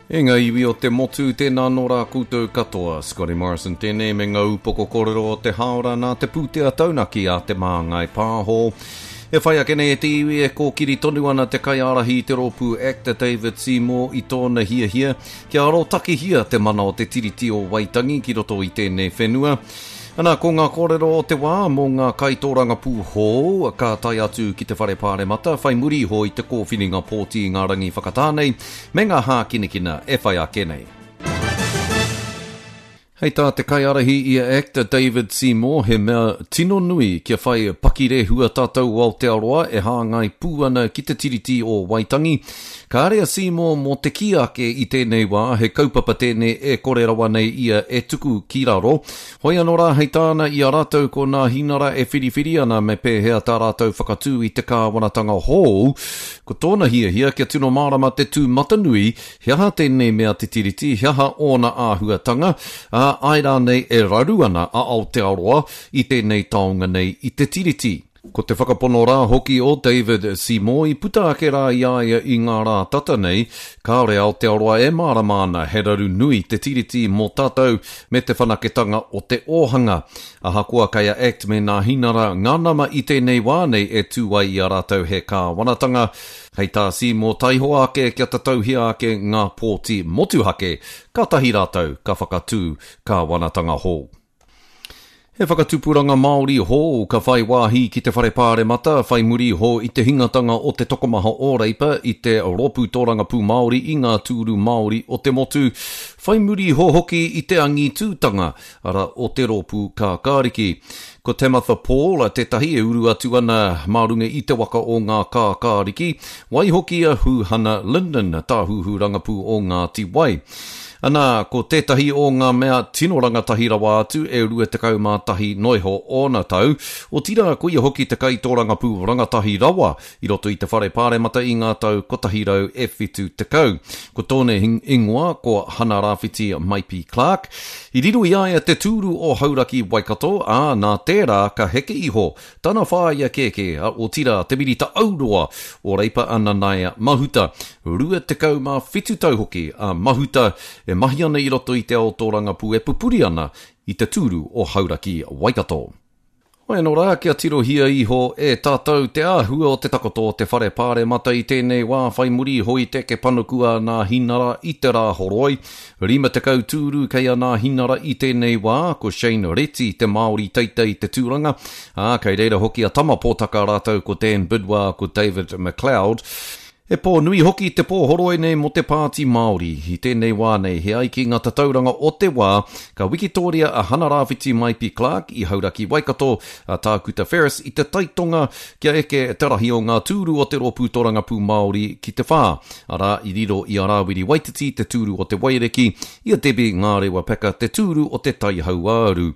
E ngā iwi o te motu, tēnā anō rā koutou katoa. Scotty Morrison tēnei me ngā upoko kōrero o te hāora nā te pūtea taunaki a Te Māngai Pāho. E whai ake nei e te iwi e kōkiri tonu ana te kaiārahi i te rōpū ACT a David Seymour i tōna hiahia kia arotakehia te mana o te Tiriti o Waitangi ki roto i tēnei whenua. Ana, ko ngā kōrero o te wā mō ngā kaitōrangapū hou ka tae atu ki te Whare Pāremata whai muri iho i te kōwhiringa pōti i ngā rangi whakatā nei me ngā hākinakina e whai ake nei. Hei tā te kaiārahi i a act a David Seymour, he mea tino nui kia whai pakirehua tātou o Aotearoa e hāngai pū ana ki te Tiriti o Waitangi. Kāre a Seymour mō te kī ake i tēnei wā he kaupapa tēnei e kore rawa nei ia e tuku ki raro. Hoi anō rā hei tāna i a rātou ko Nāhinara e whiriwhiri ana me pēhea tā rātou whakatū i te kāwanatanga hou, ko tōna hiahia kia tino mārama te tūmatanui he aha tēnei mea te Tiriti, he aha ōna āhuatanga, ā, āe rānei e raru ana a Aotearoa i tēnei taonga nei i te Tiriti. Ko te whakapono rā hoki o David Seymour i puta ake rā i a ia i ngā rā tata nei, kāore Aotearoa e mārama ana he raru nui te Tiriti mō tātou me te whanaketanga o te ōhanga. Ahakoa kei a act me Nāhinara ngā nama i tēnei wā nei e tū ai i a rātou he kāwanatanga, hei tā Seymour taihoa ake kia tatauhia ake ngā pōti motuhake, kātahi rātou ka whakatū kāwanatanga hou. He whakatupuranga Māori hou ka whai wāhi ki te Whare Pāremata whai muri iho i te hingatanga o te tokomaha o Reipa i te Rōpū Tōrangapū Māori i ngā tūru Māori o te motu, whai muri iho hoki i te angitūtanga ara o te Rōpū Kākāriki. Ko Tamatha Paul tētahi e uru atu ana mā runga i te waka o ngā Kākāriki, waihoki a Huhana Lyndon, tāhuhu rangapū o Ngāti Wai. Ana, ko tētahi o ngā mea tino rangatahi rawa atu e 21 noa iho ōna tau, otirā ko ia hoki te kaitōrangapū rangatahi rawa i roto i te Whare Pāremata i ngā tau 170. Ko tōna ingoa ko Hana Rāwhiti Maipi Clark. I riro i a ia te tūru o Hauraki Waikato, ā, nā tērā ka heke iho Tana whāia kēkē, a otirā te minita auroa o Reipa a Nanaia Mahuta. 27 tau hoki a Mahuta e mahi ana i roto i te ao tōrangapū e pupuri ana i te tūru o Hauraki Waikato. Hoi anō rā, kia tirohia iho e tātou te āhua o te takoto o te whare pāremata i tēnei wā whai muri iho i te eke panuku a Nāhinara i te Rāhoroi. 50 tūru kei a Nāhinara i tēnei wā, ko Shane Reti te Māori teitei te tūranga, ā, kei reira hoki a Tama Pōtaka rātou ko Dan Bidois ko David McLeod. He pō nui hoki te pō horoi nei mō te Pāti Māori. I tēnei wā nei, he ai ki ngā tatauranga o te wā, ka wikitōria a Hana Rāwhiti Maipi Clark i Hauraki Waikato, a Tākuta Ferris i te Taitonga kia eke te rahi o ngā tūru o te Rōpū Torangapū Māori ki te whā. Arā, i riro i a Rāwiri Waititi te tūru o te Waiariki, i a Debbie Ngārewa Peka te tūru o te Tai Hauāuru.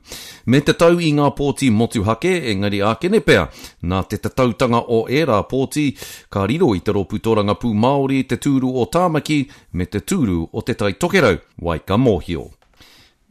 Me te tau i ngā pōti motuhake, engari ākene pea, nā te tatautanga o ērā pōti, ka riro i te Rōpū Tōrangapū Māori te tūru o Tāmaki me te tūru o Te Tai Tokerau, wai ka mōhio.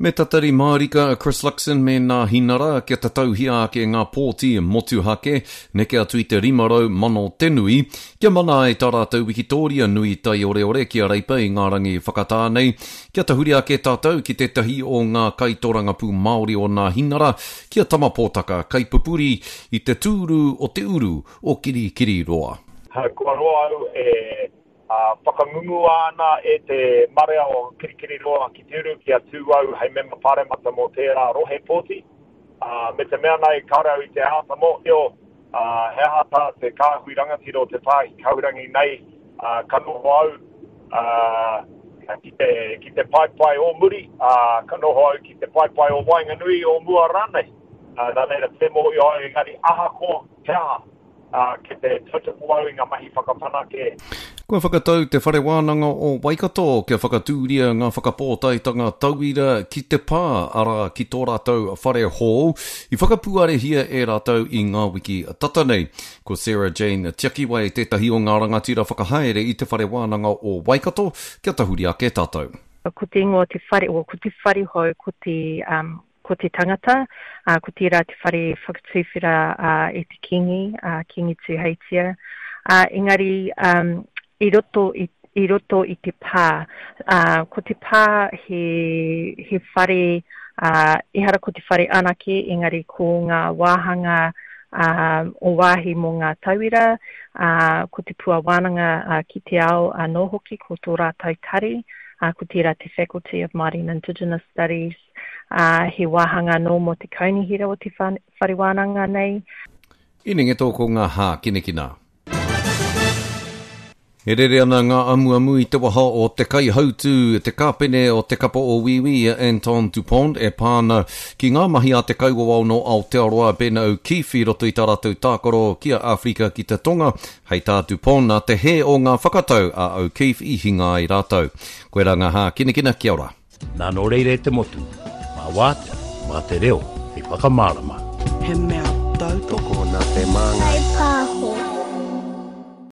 Me tatari mārika a Chris Luxon me Nāhinara kia tatauhia ake ngā pōti motuhake, neke atu i te 500 mano te nui, kia mana ai tā rātou wikitōria nui taioreore ki a Reipa i ngā rangi whakatā nei, kia tahuri ake tātou ki tētahi o ngā kaitorangapū Māori o Nāhinara, ki a Tama Pōtaka, kaipupuri i te tūru o te uru o Kirikiriroa. Kua roa au e Ā, whakangungua ana e te marea o Kirikiriroa ki te uru kia tū au hei mema pāremata mō tērā rohe pōti. Ā, me te mea nei kāore au i te āta mōhio, ā, he aha tā te kāhui rangatira o te pāhi kahurangi nei, ā, ka noho au, ā, ki te, ki te paepae o muri, ā, ka noho au ki te paepae o waenganui, o mua rānei. Ā, nā reira, tē mōhio au engari ahakoa he aha, ā, kei te tautoko au i ngā mahi whakawhanake. Kua whakatau Te Whare Wānanga o Waikato kia whakatūria ngā whakapōtaetanga tauira ki te pā, arā, ki tō rātou whare hou, i whakapuarehia e rātou i ngā wiki tata nei. Ko Sarah Jane Tiakiwai tētahi o ngā rangatira whakahaere i Te Whare Wānanga o Waikato, kia tahuri ake tātou. Ko te ingoa o te whare, well, ko te whare hou, ko te, um, ko te tangata, ā, ko tērā te whare whakatuwhera ā, e te Kīngi, ā, Kīngi Tūheitia. Ā, engari, um, i roto i, i roto i te pā. Ā, ko te pā he, he whare, ā, ehara ko te whare anake, engari ko ngā wāhanga, ā, o wāhi mō ngā tauira, ā, ko te pua wānanga, ā, ki te ao anō hoki, ko tō rātou tari, ā, ko tērā te Faculty of Māori and Indigenous Studies, ā, he wāhanga anō mō te kaunihera o te whare wānanga nei. Inengeto ko ngā hākinakina. E rere ana ngā amuamu i te waha o te kaihautū, te kāpene o te kapa o Wīwī, a Anton Dupont, e pā ana ki ngā mahi a te kaiwawao nō Aotearoa, Ben O'Keefe, i roto i tā rātou tākaro ki a Āwherika ki te Tonga. Hei tā Dupont, nā te hē o ngā whakatau a O'Keefe i hinga ai rātou. Koirā ngā hākinakina, kia ora. Nā nō reira e te motu, mā wātea, mā te reo hei whakamārama. He mea tautoko. Tokona te māngai. Kaipāho.